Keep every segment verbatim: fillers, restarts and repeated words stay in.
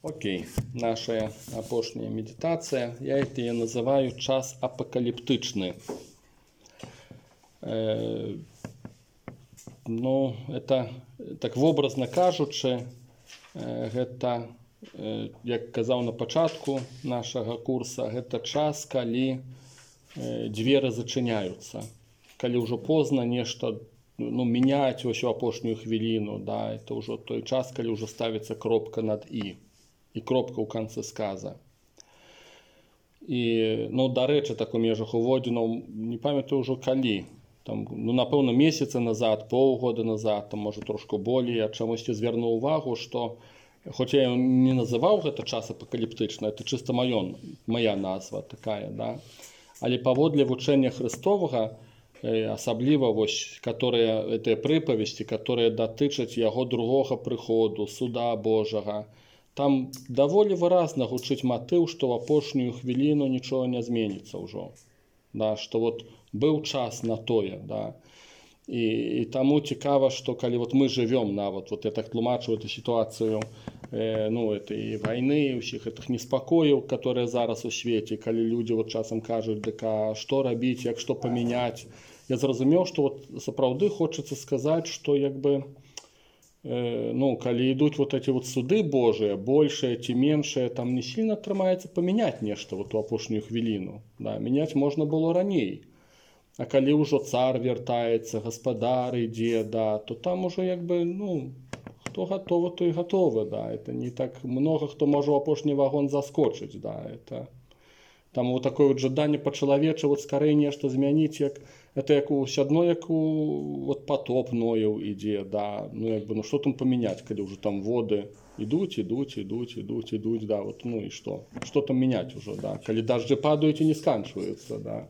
Окей, наша апошняя медитация, я это я называю час апокалиптычны. Э, ну, это, так вобразна кажучы, э, гэта, э, як казаў на пачатку нашага курса, гэта час, калі э, дзверы зачыняюцца. Калі ўжо позна нешта ну, мяняць вось у апошнюю хвіліну, да, это ўжо той час, калі ўжо ставіцца кропка над і. І кропка ў канцы сказа. І, ну, дарэчы, так у межах уводзінаў, не памятаю ўжо калі. Там, ну, напэўна, месяцы назад, паўгода назад, там, можа, трошку болей, я чамусьці звярнуў увагу, што, хоць я не называў гэта час апакаліптычны, это чыста маё, мая назва такая, да. Але паводле вучэння Христовага, асабліва вось, которые, гэтыя прыпавесці, которые датычаць яго другога прыходу, суда Божага, там даволі выразна гучыць матыў, што ў апошнюю хвіліну нічога не зменіцца ўжо. Да, што вот быў час на тое. Да. І, і таму цікава, што калі вот мы жывём нават, вот я так тлумачу эту сітуацыю э, ну, этой вайны, ўсіх гэтых неспакояў, которые зараз у свеце, калі людзі вот часам кажуць, дык а што рабіць, як што памяняць. Я зразумеў, што вот сапраўды хочацца сказаць, што як бы ну, калі ідуць вот эти вот суды Божыя, большие ці меншыя, там не сильно атрымаецца памяняць нешта вот у апошнюю хвіліну. Да, мяняць можна было раней. А калі ўжо цар вяртаецца, гаспадар ідзе, да, то там уже як бы, ну, хто гатовы, то і гатовы, да. Это не так много хто можа ў апошні вагон заскочыць, да, это там вот такое вот жаданне па-чалавечы вот скорей нешта змяніць, як это як усё адно, як у вот потоп Нояў ідзе, да, ну як бы, ну што там памяняць, калі ўжо там воды ідуць, ідуць, ідуць, ідуць, ідуць, да, вот, ну і што? Што там мяняць ужо, да, калі дажджы падаюць і не сканчваюцца, да.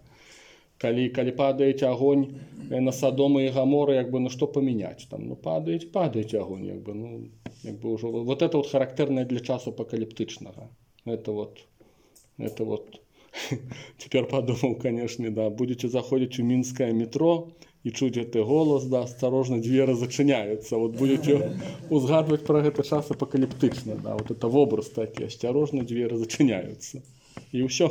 Калі, калі падаюць агонь на Садома і Гамора, як бы, ну што памяняць там, ну падаюць, падаюць агонь, як бы, ну, як бы ўжо, вот это вот характэрнае для часу апакаліптычнага, это вот, это вот. Теперь подумал, конечно, да, будете заходить в Минское метро и чуть это голос, да, осторожно, двери зачиняются. Вот будете узгадывать про это час апокалиптично, да, вот это в образ такой, осторожно, двери зачиняются. И все.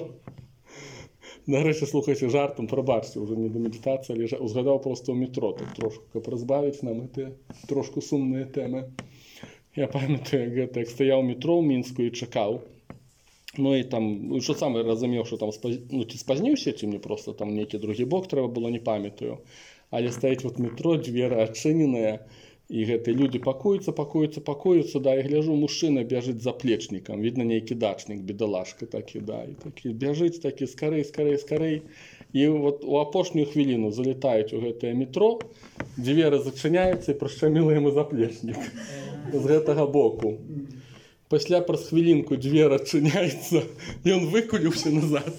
Нарешті, слухайте, жартом, пробачте, уже не до медитації, але узгадав просто в метро, так трошку, як розбавити нам ці трошку сумні теми. Я пам'ятаю, як, як стояв в метро в Мінську і чекав. Ну і там, що саме розумів, що там ну, ці спазнився, чи мені просто там некий другий бок треба було, не пам'ятаю. Але стоїть вот метро, двері відчинені, і гэты люди пакуюцца, пакуюцца, пакуюцца, да, і гляжу, мужчына бяжыць за плечнікам, видно, нейкі дачнік, бедалашка такі, да, і такі бяжыць, такі, скорей, скорей, скорей. І вот у апошнюю хвіліну залетаюць у гэтае метро, двері зачыняюцца, і прышчаміла яму заплечнік з гэтага боку. Пасля праз хвілінку двері адчыняецца, і ён выкуліўся назад,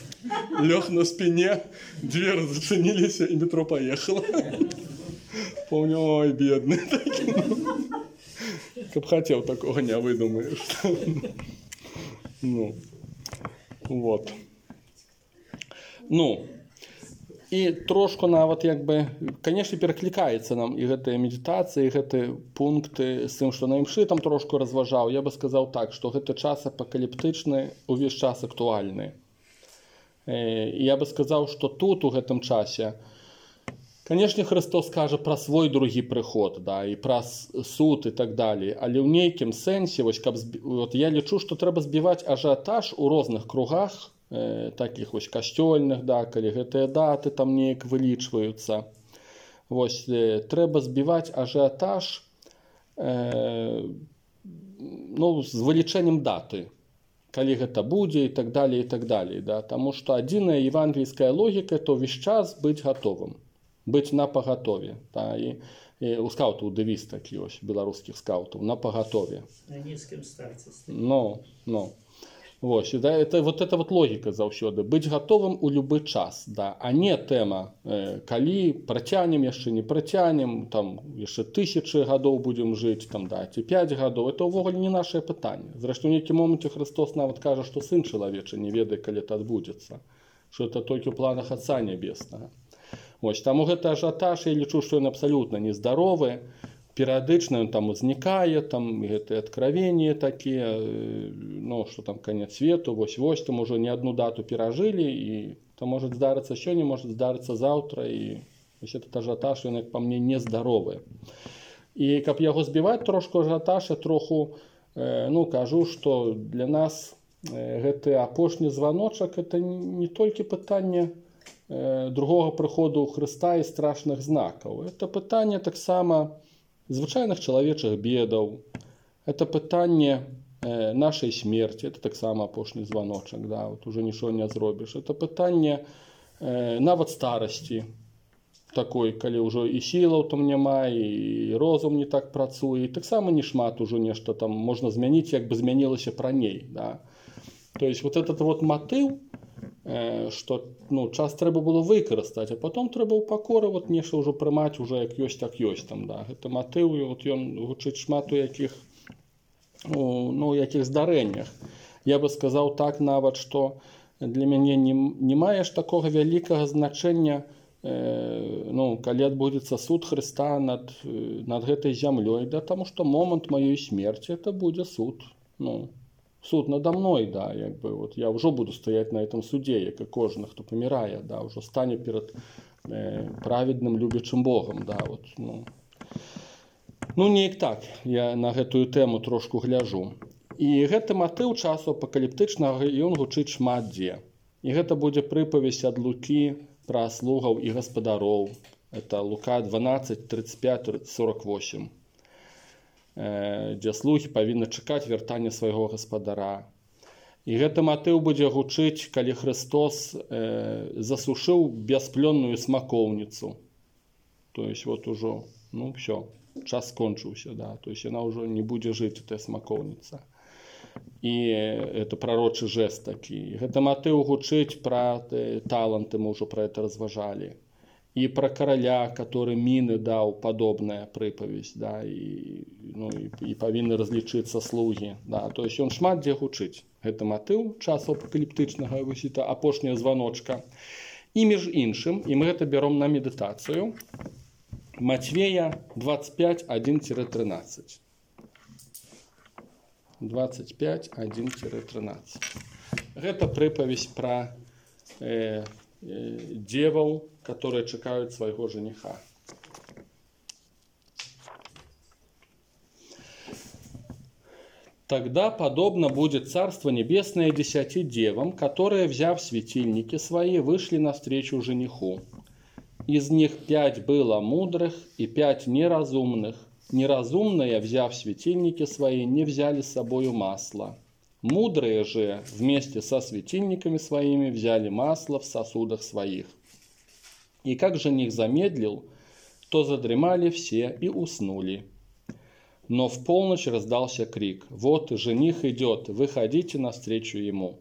лёг на спине, двері зачыніліся, і метро поехало. Помню, ой, бедный такий. Как хотел, такого не выдумаешь. Ну, вот. Ну, і трошку нават, як бы, конечно, пераклікаецца нам і гэтая медитацыя, і гэтыя пункты з тым, што на імшы там трошку разважаў. Я бы сказаў так, што гэты час апакаліптычны, увесь час актуальны. І я бы сказаў, што тут, у гэтым часе, конечно, Христос кажа пра свой другі прыход, да, і пра суд і так далее, але ў нейкім сэнсе, вось, каб, вот, я лічу, што трэба збіваць ажыятаж у розных кругах, э, такіх вось касцёльных, да, калі гэтыя даты там неяк вылічваюцца. Вось, э, трэба збіваць ажыятаж э, ну, з вылічэннем даты, калі гэта будзе і так далее, і так далее, да, таму што адзіная евангельская логіка, то ўвесь час быць гатовым. Быць на пагатове. Да, і, і у скаутаў дэвіз такі ось, беларускіх скаутаў, на пагатове. На нізкім старце. Ну, ну. Вось, да, это, вот это вот логіка заўсёды. Быць гатовым у любы час, да, а не тэма, э, калі працянем, яшчэ не працянем, там, яшчэ тысячы гадоў будзем жыць, там, да, ці пяць гадоў. Это ўвогуле не нашае пытанне. Зрэшты, у нейкім моманце Христос нават кажа, што сын чалавечы не ведае, калі это адбудзецца. Што это толькі ў планах Отца Небеснага. Вось, таму гэты ажыятаж, я лічу, што ён абсалютна нездаровы. перыядычна ён там узнікае, там гэтыя адкравенні такія, ну, што там канец свету, вось-вось, там ужо не адну дату перажылі, і там можа здарыцца сёння, можа здарыцца заўтра, і вось этот ажыятаж, ён, як па мне, нездаровы. І каб яго збіваць трошку ажыятаж, я троху, ну, кажу, што для нас гэты апошні званочак — это не толькі пытанне другога прыходу Хрыста і страшных знакаў. Это пытанне таксама звычайных чалавечых бедаў. Это пытанне нашай смерці. Это таксама апошні званочак. Да? Вот уже нічого не зробіш. Это пытанне нават старасці. Такой, калі ўжо і сілаў там няма, і розум не так працуе. І таксама не шмат ужо нешта там можна змяніць, як бы змянілася раней. Да? То есть вот этот вот матыў, што, ну, час трэба было выкарыстаць, а потом трэба ў пакоры вот нешта ўжо прымаць уже як ёсць, так ёсць там. Да? Гэта матыў, вот ён гучыць шмат у якіх, ну, ну, якіх здарэннях. Я бы сказаў так нават, што для мяне не, не маеш такога вялікага значэння, ну, калі адбудзецца суд Хрыста над, над гэтай зямлёй, да, таму што момант маёй смерці это будзе суд, ну, суд надо мной, да, як бы, вот я ўжо буду стаяць на этом суде, як і кожны, хто памірае, да, ўжо стане перад э, праведным любячым Богам, да, вот, ну. Ну, неяк так, я на гэтую тэму трошку гляжу. І гэты матыў часу апакаліптычнага, ён гучыць шмат дзе. І гэта будзе прыпавесць ад Лукі пра слугаў і гаспадароў. Это Лука дванаццаць, тридцать пять, сорок восемь. Дзе слугі павінны чакаць вяртання свайго гаспадара. І гэты матыў будзе гучыць, калі Хрыстос э, засушыў бясплённую смакоўніцу. То есть вот ужо, ну, все, час скончыўся, да. То есть яна ўжо не будзе жыць, эта смакоўніца. І это пророчы жест такі. Гэта матыў гучыць пра таланты, мы ўжо пра это разважалі. І пра караля, который міны даў, падобная прыпавесць, да, і, ну, і, і павінны разлічыцца слугі. Да. То есть ён шмат дзе гучыць. Гэта матыў часу апакаліптычнага, вось это апошняя званочка. І між іншым, і мы гэта бяром на медытацыю, Матвея двадцать пять, один тринадцать. двадцать пять, один тринадцать. Гэта прыпавесць пра э, э, деваў, которые чакаюць свайго жениха. Тогда подобно будет Царство Небесное десяти девам, которые, взяв светильники свои, вышли навстречу жениху. Из них пять было мудрых и пять неразумных. Неразумные, взяв светильники свои, не взяли с собою масло. Мудрые же вместе со светильниками своими взяли масло в сосудах своих. И как жених замедлил, то задремали все и уснули. Но в полночь раздался крик: «Вот жених идет, выходите навстречу ему».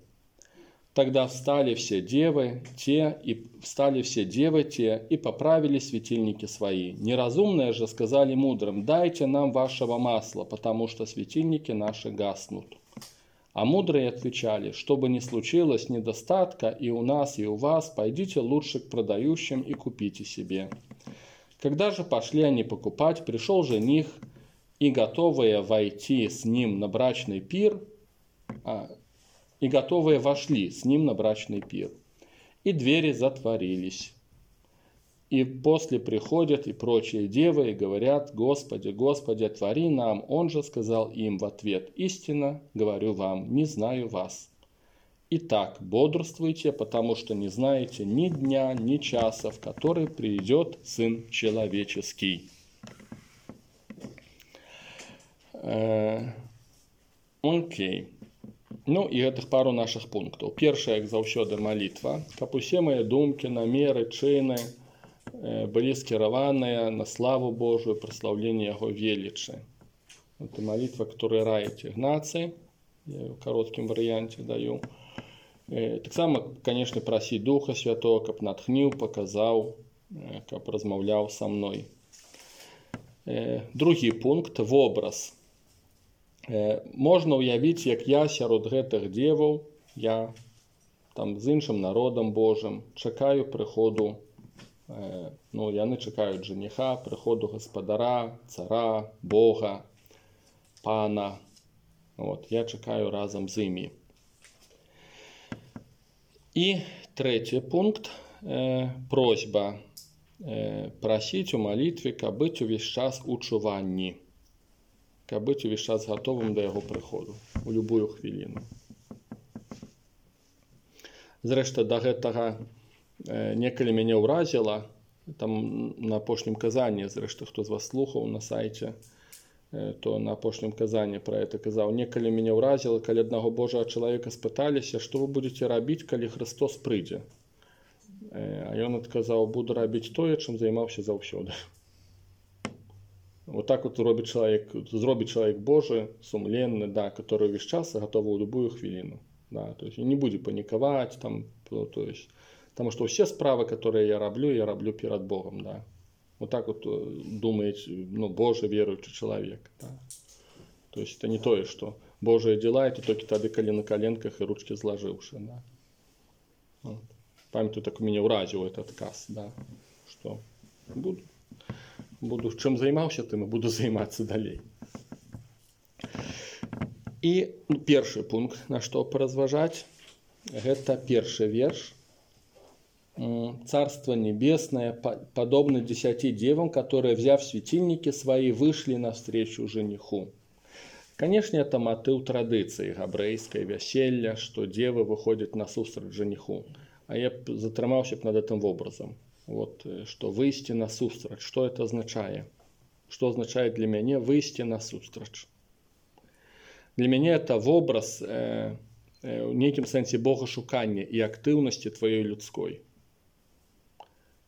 Тогда встали все девы, те и встали все девы те и поправили светильники свои. Неразумные же сказали мудрым: «Дайте нам вашего масла, потому что светильники наши гаснут». А мудрые отвечали: «Что бы ни случилось недостатка и у нас, и у вас, пойдите лучше к продающим и купите себе». Когда же пошли они покупать, пришел жених, и готовые войти с ним на брачный пир, а, и готовые вошли с ним на брачный пир, и двери затворились. И после приходят и прочие девы и говорят: «Господи, Господи, отвори нам». Он же сказал им в ответ: «Истинно говорю вам, не знаю вас. Итак, бодрствуйте, потому что не знаете ни дня, ни часа, в который придет Сын Человеческий». Окей. Okay. Ну і гэтых пару наших пунктаў. Першае, як заўсёды, малітва. Каб усе мае думкі, намеры, чыны былі скіраваныя на славу Божую, праслаўленне Яго велічы. Это молитва, которую раит Игнаций. Я ее в коротком варианте даю. Так само, конечно, просить Духа Святого, каб натхніў, показаў, каб размаўляў са мной. Другі пункт – вобраз. Можна ўявіць, як я сярод гэтых деваў, я там з іншым народам Божым чакаю прыходу Ну, яны чакаюць жаніха, прыходу гаспадара, цара, Бога, пана. Вот, я чакаю разам з імі. І трэці пункт. Э, просьба э, прасіць у малітве, каб быць увесь час у чуванні, каб быць увесь час гатовым да яго прыходу у любую хвіліну. Зрэшты, да гэтага э, некалі мяне ўразіла, там на апошнім казанні, зрэшты, хто з вас слухаў на сайце, э, то на апошнім казанні пра гэта казаў, некалі мяне ўразіла, калі аднаго Божага чалавека спыталіся, што вы будзеце рабіць, калі Христос прыйдзе. А ён адказаў, буду рабіць тое, чым займаўся заўсёды. Вот так вот робіць чалавек, зробіць чалавек Божы, сумленны, да, который увесь час готовы ў любую хвіліну. Да, то есть не будзе панікаваць, там, то есть, потому что все справы, которые я раблю, я раблю перед Богом. Да. Вот так вот думает, ну, Божий верующий человек. Да. То есть это не то, что Божие дела, это только тогда, коли на коленках и ручки сложивши. Да. Вот. Памятаю, так у меня уразил этот отказ, да, что буду, буду чем занимался, тем и буду заниматься далей. И ну, первый пункт, на что поразважать, это первый верш. Царство небесное подобно десяти девам, которые, взяв светильники свои, вышли навстречу жениху. Конечно, это мотив традиции габрэйской вяселля, что девы выходят на сустрач жениху. А я затрымаўся над этим образом. Вот, что выйти на сустрач. Что это означает? Что означает для меня выйти на сустрач? Для меня это образ э, э, в неким сенсе богашукання и активности твоей людской.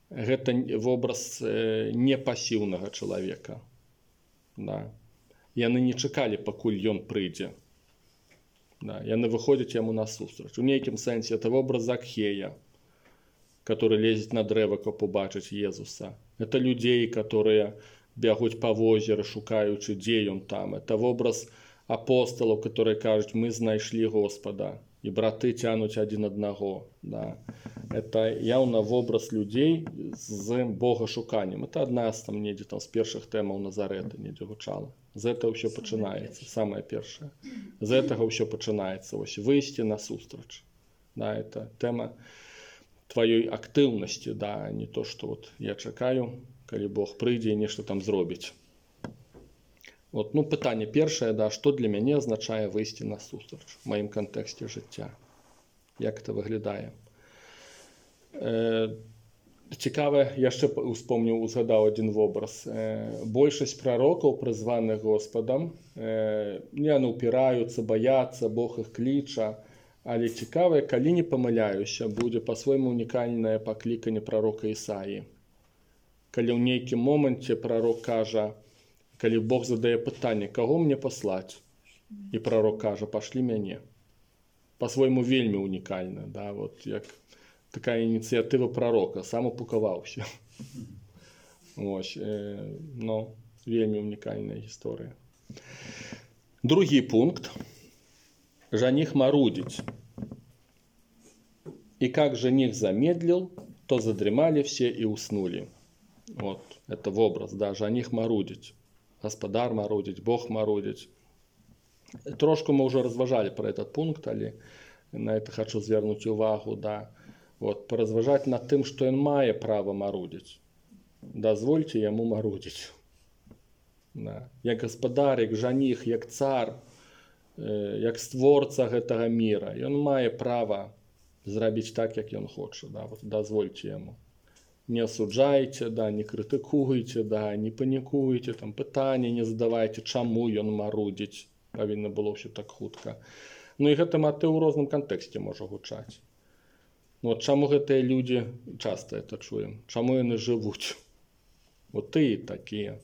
Это образ э, непассивного человека. Да. Яны не чакалі, пакуль ён прыйдзе. Да, яны выходят ему на сустрач. В неким сенсе это образ Закхея, который лезет на древо, каб убачыць Иисуса. Это людей, которые бегут по озеру, шукаючы, дзе он там. Это образ апостолов, которые кажут, мы знайшлі Господа. И браты тянут один одного. Да. Это явно образ людей с богашуканнем. Это одна з там, недзе, там, з першых тэмаў Назарэта недзе гучала. З этого ўсё пачынаецца, самае першае. З этого ўсё пачынаецца, ось выйсці на сустрач. Да, это тема твоей актыўнасці, да, не то, что вот я чакаю, калі Бог прыйдзе і нешта там зробіць. Вот, ну, пытанне першае, да, што для мяне азначае выйсці на сустрач в маім кантэксце жыцця. Як это выглядае? Э, Цікаве, я ще успомнив, узгадав один образ. Е, большасць пророкаў, призваних Господом, е, не упираються, бояться, Бог їх кліча. Але цікаве, коли не помиляюся, буде по-своєму унікальне покликання пророка Ісаї. Коли в нейкім моменті пророк каже, коли Бог задає питання, кого мені послати? І пророк каже, пошлі мене. По-своєму вельми унікальне, да, от як такая ініціатива пророка, сам упакувався. Ось, е, ну, вельми унікальна історія. Другий пункт. Жених марудить. И как жених замедлил, то задремали все и уснули. Вот, это в образ, да, жених марудить. Господар марудить, Бог марудить. Трошку мы уже разважали про этот пункт, але на это хочу звернуть увагу, да. Вот, поразважать над тем, что он мае право марудить. Дозвольте ему марудить. Да. Як господар, як жаних, як цар, як створца гэтага мира. И он мае право зрабіць так, як ён хоча. Да. Вот, дозвольте ему. Не осуджайте, да, не критикуйте, да, не панікуйте, там, пытання не задавайте, чаму ён марудить. Павінна было все так хутка. Ну і гэта матыў у розным кантэксце можа гучаць. Вот чаму гэтыя людзі, часто это чуем, чаму яны жывуць? Вот ты такія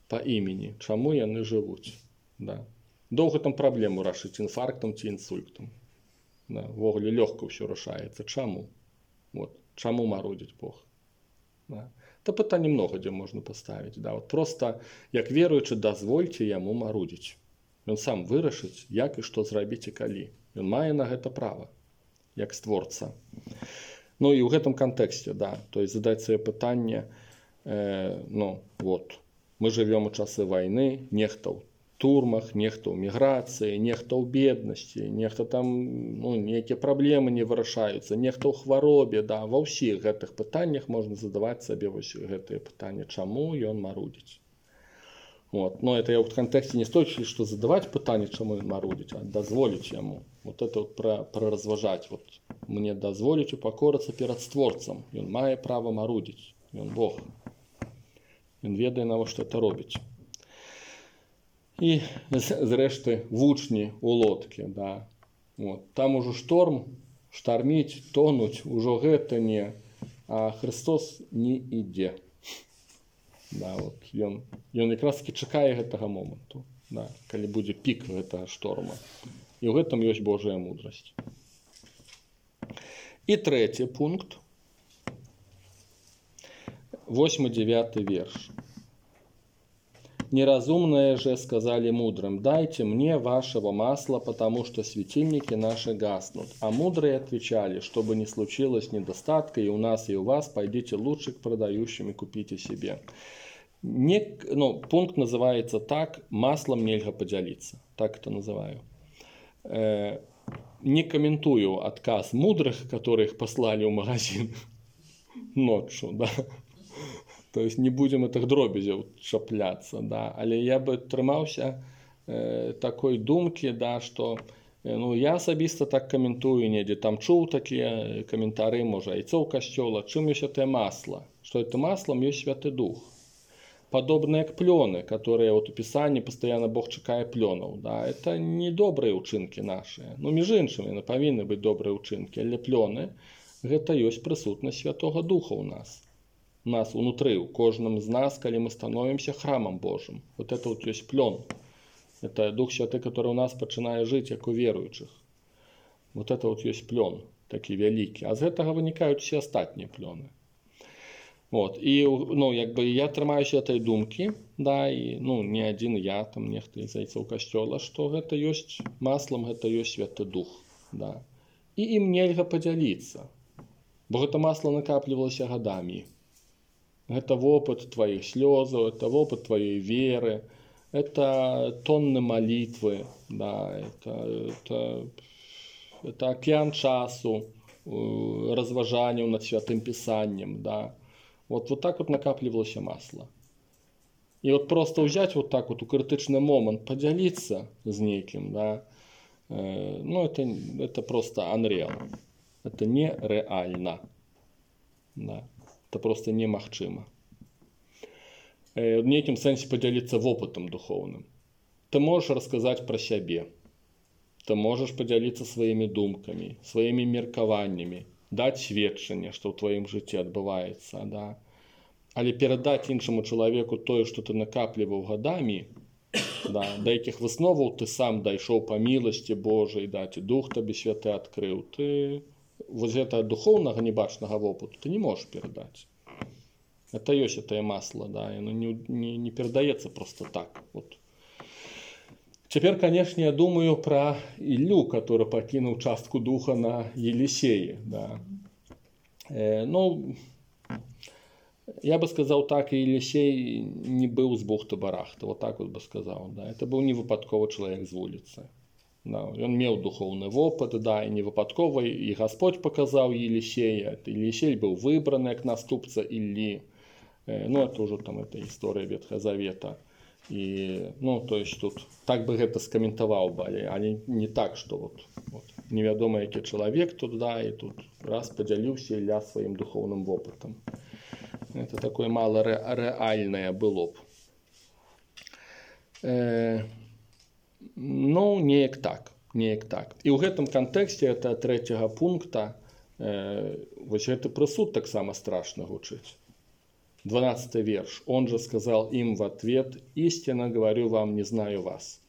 па імені, чаму яны жывуць? Да. Доўга там праблему рашыць інфарктам ці інсультам. Да. Ввогуле лёгка ўсё рашаецца. Чаму? Вот. Чаму марудзіць Бог? Да. Это пытанне многа дзе можна паставіць. Да. Вот просто, як веруючы, дазвольце яму марудзіць. Ён сам вырашыць, як і што зрабіць і калі. Ён мае на гэта права, як створца. Ну і ў гэтым кантэксце, да, то есть задаць сабе пытанне, э, ну вот, мы жывём у часы вайны, нехта ў турмах, нехта ў міграцыі, нехта ў беднасці, нехта там, ну, нейкія праблемы не вырашаюцца, нехта ў хваробе, да, ва ўсіх гэтых пытаннях можна задаваць сабе вось гэтыя пытанні, чаму ён марудзіць. Вот. Но это я в контексте не стоит, что задавать пытание, чему он марудить, а дозволить ему. Вот это вот про, про разважать. Вот мне дозволить упокориться перед Створцем. И он мае право марудить. И он Бог. Он ведает, на что это робить. И зрешты вучни у лодки, да. Вот. Там уже шторм, штормить, тонуть, уже это не, а Христос не иде. Да, вот ён, ён якраз таки чакае гэтага моманту, да, калі будзе пік гэтага шторма. І ў гэтым ёсць Божая мудрасць. І трэці пункт. восьмы девятый верш. «Неразумные же сказали мудрым: дайте мне вашего масла, потому что светильники наши гаснут. А мудрые отвечали: чтобы не случилось недостатка и у нас, и у вас, пойдите лучше к продающим и купите себе». Не, ну, пункт называется так: маслом нельзя поделиться. Так это называю. Э, не комментую отказ мудрых, которых послали в магазин ночью, да. То есть не будем этих дробязей чапляться, да. Але я бы трымаўся э, такой думки, да, что э, ну, я асабіста так комментую недзе, там чуў такие комментары, можа, яйцо касцёла, чым ёсць это масло, что это маслом ёсць Святы Дух. Подобные к плены, которые вот у Писании постоянно Бог чакае пленов, да, это не добрые учинки наши. Ну, между іншими, не повинны быть добрые учинки, але плены, это есть присутность Святого Духа у нас. У нас внутри, у кожном из нас, когда мы становимся храмом Божьим. Вот это вот есть плен. Это Дух Святый, который у нас начинает жить, как у верующих. Вот это вот есть плен, такие великие. А из этого вытекают все остальные плены. Вот. І, ну, якби я трымаюся этой думкі, да, і, ну, не адзін я, там нехта з зайцоў касцёла, што гэта ёсць маслом, гэта ёсць Святы Дух, да. І ім нельга падзяліцца, бо гэта масло накаплівалася гадамі. Гэта вопыт тваіх слёзаў, это вопыт тваёй веры, это тонны малітвы, да, это, это, это акеан часу, разважанняў над Святым Пісаннем, да. Вот, вот так вот накапливалось масло. И вот просто взять вот так вот у критичный момент, поделиться с неким, да, э, ну это, это просто unreal. Это нереально. Да. Это просто немагчыма. Э, в неким сенсе поделиться опытом духовным. Ты можешь рассказать про себя. Ты можешь поделиться своими думками, своими меркаваннями. Дать сведчанне, што ў тваім жыцці адбываецца, да. Але перадаць іншаму чалавеку тое, што ты накапліваў гадамі, да, да якіх высноваў ты сам дайшоў па міласці Божай, да, ці Дух табе Святы адкрыў, ты вось гэта духоўнага небачнага вопыту ты не можаш перадаць. Это ёсць это масло, да, яно не, не, не перадаецца просто так. Вот. Теперь, конечно, я думаю про Илью, который покинул частку духа на Елисее. Да. Э, ну, я бы сказал так, Елисей не был с бухты-барахты, вот так вот бы сказал. Да. Это был не выпадковый человек с улицы. Да. Он имел духовный опыт, да, и не выпадковый, и Господь показал Елисея. Елисей был выбран как наступца Ильи. Э, ну, это уже там эта история Ветхого Завета. И, ну, то есть тут так бы это скомментовал бы, а не, не так, что вот, вот неведомо який человек тут, да, и тут раз поделился Илья своим духовным опытом. Это такое мало ре, реальное было бы. Э, ну, неяк так, неяк так. И в этом контексте это третьего пункта, э, вот это присуд так само страшно гучить. двенадцатый верш. Он же сказал им в ответ: истинно говорю вам, не знаю вас.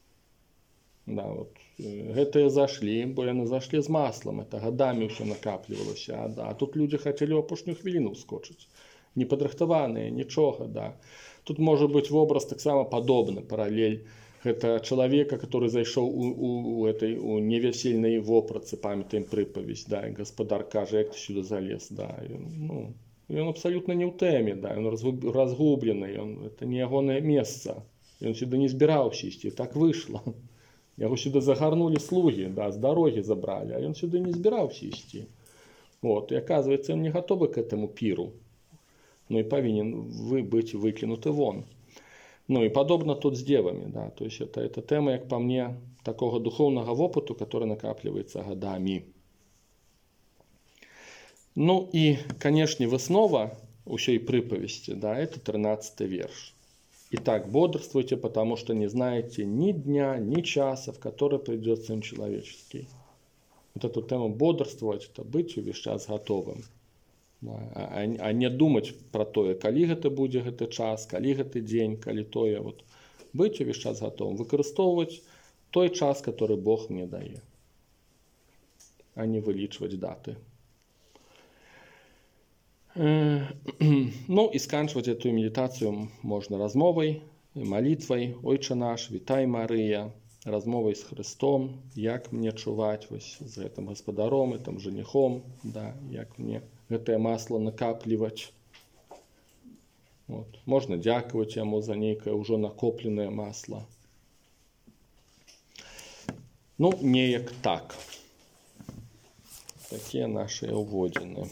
Да, вот. Гэтыя зашлі, бо яны зашлі з маслом, это гадамі ўсё накаплівалася, а, да. А тут люди хотели ў апошнюю хвіліну ускочыць. Непадрыхтаваныя, нічога, да. Тут может быть вобраз таксама падобны, паралель гэта чалавека, который зайшоў у, у, у этой у невясельнай вопратцы, памятаем прыпавесць, да, і гаспадар кажа, як ты сюды залез, да, і, ну, ён абсалютна не ў тэме, да, ён разгублены, ён, это не ягонае месца, ён сюды не збіраўся ісці, так выйшла. Яго сюды загарнулі слугі, да, з дарогі забралі, а ён сюды не збіраўся ісці. Вот, и оказывается, он не готовы к этому пиру, ну и повинен вы быть выкинуты вон. Ну и подобно тут с девами, да, то есть это, это тема, как по мне, такого духовного опыта, который накапливается годами. Ну и, конечно, выснова усей приповести, да, это тринадцатый верш. Итак, бодрствуйте, потому что не знаете ни дня, ни часа, в который придет Сын Человеческий. Вот эту тему бодрствовать, это быть увесь час готовым. А, а не думать про то, калі гэта будзе гэты час, калі гэты дзень, калі тое. Вот. Быть увесь час готовым. Выкарыстоўваць той час, который Бог мне дае. А не вылічваць даты. Ну и сканчивать эту медитацию можно размовой, молитвой. Ойче наш, вітай Мария. Размовай з Христом, як мне чуваць вось з гэтым гаспадаром, гэтым жаніхом, да, як мне гэтае масло накапліваць. Вот. Можна дзякаваць яму за нейкае ўжо накопленае масло. Ну, неяк так. Такія нашыя ўводзіны.